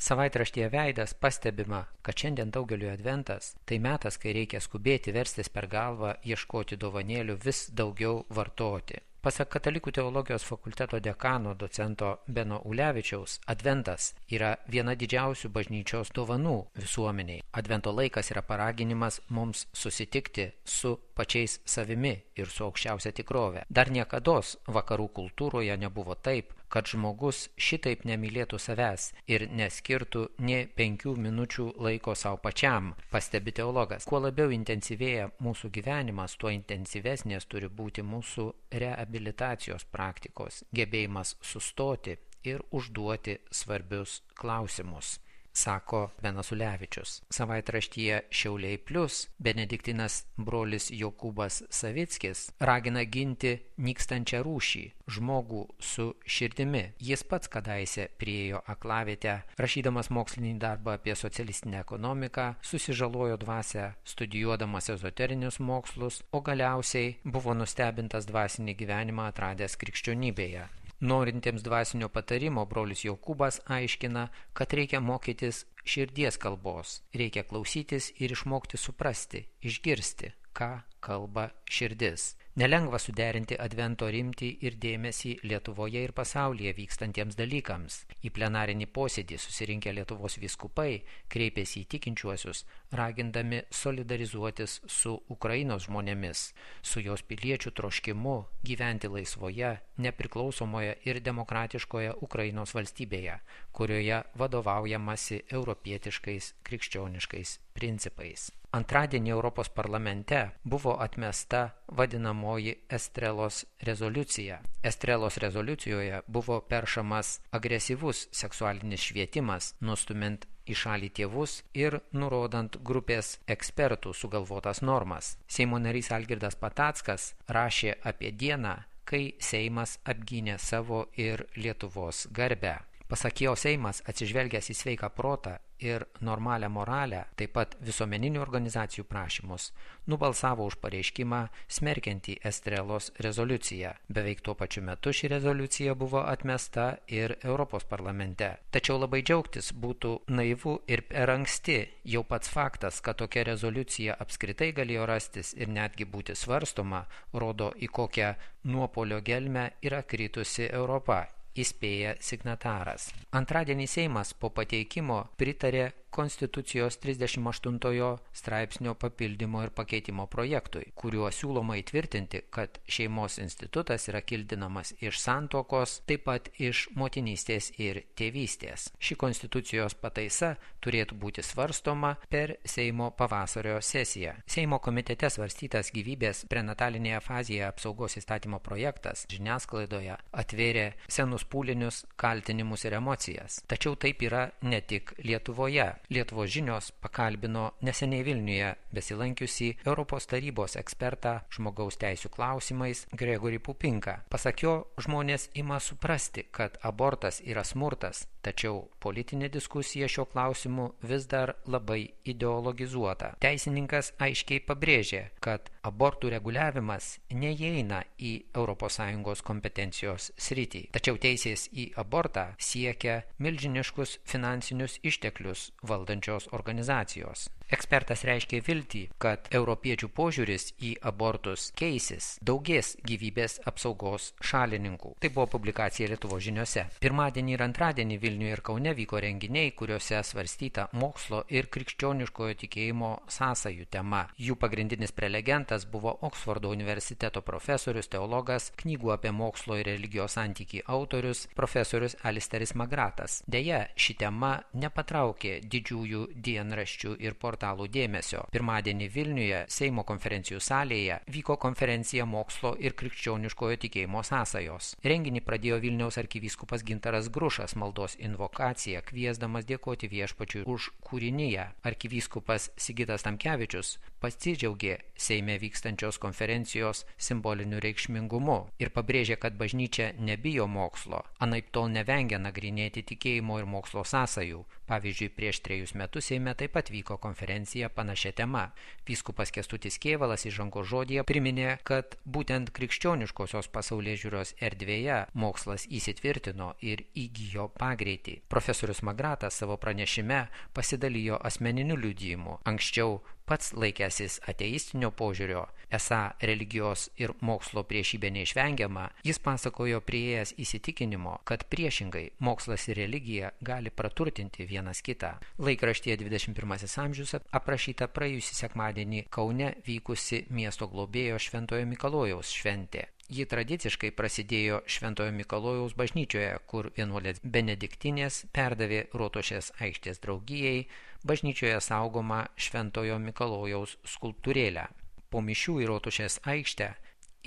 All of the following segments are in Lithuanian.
Savaitraštyje Veidas pastebima, kad šiandien daugeliu adventas tai metas, kai reikia skubėti verstis per galvą, ieškoti dovanėlių, vis daugiau vartoti. Pasak Katalikų teologijos fakulteto dekano docento Beno Ulevičiaus, adventas yra viena didžiausių bažnyčios dovanų visuomeniai. Advento laikas yra paraginimas mums susitikti su pačiais savimi ir su aukščiausia tikrove. Dar niekados vakarų kultūroje nebuvo taip, kad žmogus šitaip nemylėtų savęs ir neskirtų nė 5 minučių laiko savo pačiam, pastebi teologas. Kuo labiau intensyvėja mūsų gyvenimas, tuo intensyvesnės turi būti mūsų reabilitacijos praktikos, gebėjimas sustoti ir užduoti svarbius klausimus, sako Benas Ulevičius. Savaitraštyje Šiauliai Plius benediktinas brolis Jokūbas Savickis ragina ginti nykstančią rūšį, žmogų su širdimi. Jis pats kadaise priėjo aklavietę, rašydamas mokslinį darbą apie socialistinę ekonomiką, susižalojo dvasią studijuodamas ezoterinius mokslus, o galiausiai buvo nustebintas dvasinį gyvenimą atradęs krikščionybėje. Norintiems dvasinio patarimo brolis Jokūbas aiškina, kad reikia mokytis širdies kalbos, reikia klausytis ir išmokti suprasti, išgirsti, ką kalba širdis. Nelengva suderinti advento rimtį ir dėmesį Lietuvoje ir pasaulyje vykstantiems dalykams. Į plenarinį posėdį susirinkę Lietuvos vyskupai kreipėsi į tikinčiuosius, ragindami solidarizuotis su Ukrainos žmonėmis, su jos piliečių troškimu gyventi laisvoje, nepriklausomoje ir demokratiškoje Ukrainos valstybėje, kurioje vadovaujamasi europietiškais krikščioniškais principais. Antradienį Europos parlamente buvo atmesta vadinamoji Estrelos rezoliucija. Estrelos rezoliucijoje buvo peršamas agresyvus seksualinis švietimas, nustumint į šalį tėvus ir nurodant grupės ekspertų sugalvotas normas. Seimo narys Algirdas Patackas rašė apie dieną, kai Seimas apgynė savo ir Lietuvos garbę. Pasak jo, Seimas, atsižvelgęs į sveiką protą ir normalią moralę, taip pat visuomeninių organizacijų prašymus, nubalsavo už pareiškimą smerkiantį Estrelos rezoliuciją. Beveik tuo pačiu metu ši rezoliucija buvo atmesta ir Europos parlamente. Tačiau labai džiaugtis būtų naivu ir per anksti. Jau pats faktas, kad tokia rezoliucija apskritai galėjo rastis ir netgi būti svarstoma, rodo, į kokią nuopuolio gelmę yra kritusi Europa, įspėja signataras. Antradienį Seimas po pateikimo pritarė Konstitucijos 38 straipsnio papildymo ir pakeitimo projektui, kuriuo siūloma įtvirtinti, kad šeimos institutas yra kildinamas iš santuokos, taip pat iš motinystės ir tėvystės. Ši Konstitucijos pataisa turėtų būti svarstoma per Seimo pavasario sesiją. Seimo komitete svarstytas gyvybės prenatalinėje fazėje apsaugos įstatymo projektas žiniasklaidoje atvėrė senus pūlinius, kaltinimus ir emocijas. Tačiau taip yra ne tik Lietuvoje. Lietuvos žinios pakalbino neseniai Vilniuje besilankiusį Europos tarybos ekspertą žmogaus teisių klausimais Gregorį Pupinką. Pasak jo, žmonės ima suprasti, kad abortas yra smurtas, tačiau politinė diskusija šiuo klausimu vis dar labai ideologizuota. Teisininkas aiškiai pabrėžė, kad abortų reguliavimas neįeina į ES kompetencijos sritį. Tačiau teisės į abortą siekia milžiniškus finansinius išteklius valdančios organizacijos. Ekspertas reiškė viltį, kad europiečių požiūris į abortus keisis, daugės gyvybės apsaugos šalininkų. Tai buvo publikacija Lietuvos žiniose. Pirmadienį ir antradienį Vilniuje ir Kaune vyko renginiai, kuriuose svarstyta mokslo ir krikščioniškojo tikėjimo sąsajų tema. Jų pagrindinis prelegentas buvo Oksfordo universiteto profesorius, teologas, knygų apie mokslo ir religijos santykį autorius, profesorius Alisteris Magratas. Deja, ši tema nepatraukė didžiųjų dienraščių ir portalų dėmesio. Pirmadienį Vilniuje Seimo konferencijų salėje vyko konferencija mokslo ir krikščioniškojo tikėjimo sąsajos. Renginį pradėjo Vilniaus arkivyskupas Gintaras Grušas maldos invokaciją, kviesdamas dėkoti viešpačiui už kūriniją. Arkivyskupas Sigitas Tamkevičius pasidžiaugė Seime vykstančios konferencijos simboliniu reikšmingumu ir pabrėžė, kad bažnyčia nebijo mokslo, anaiptol nevengia nagrinėti tikėjimo ir mokslo sąsajų. Pavyzdžiui, prieš 3 metus Seime taip pat vyko konferencija konferenciją panašia tema. Vyskupas Kęstutis Kėvalas įžangos žodyje priminė, kad būtent krikščioniškosios pasaulėžiūros erdvėje mokslas įsitvirtino ir įgijo pagreitį. Profesorius Magratas savo pranešime pasidalijo asmeniniu liudijimu. Anksčiau pats laikęsis ateistinio požiūrio, esą religijos ir mokslo priešybė neišvengiama, jis pasakojo priėjęs įsitikinimo, kad priešingai mokslas ir religija gali praturtinti vienas kitą. Laikraštyje 21 amžius aprašyta praėjusį sekmadienį Kaune vykusi miesto globėjo Šventojo Mikalojaus šventė. Ji tradiciškai prasidėjo Šventojo Mikalojaus bažnyčioje, kur vienuolės benediktinės perdavė Rotušės aikštės draugijai bažnyčioje saugomą Šventojo Mikalojaus skulptūrėlę. Po mišių į Rotušės aikštę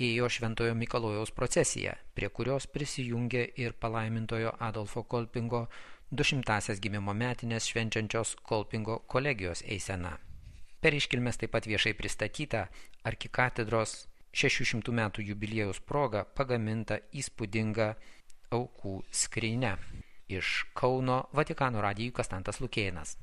ėjo Šventojo Mikalojaus procesija, prie kurios prisijungė ir palaimintojo Adolfo Kolpingo 200-asias gimimo metinės švenčiančios Kolpingo kolegijos eisena. Per iškilmes taip pat viešai pristatyta arkikatedros 600 metų jubiliejaus proga pagaminta įspūdinga aukų skrynia. Iš Kauno Vatikano radijui Kastantas Lukėnas.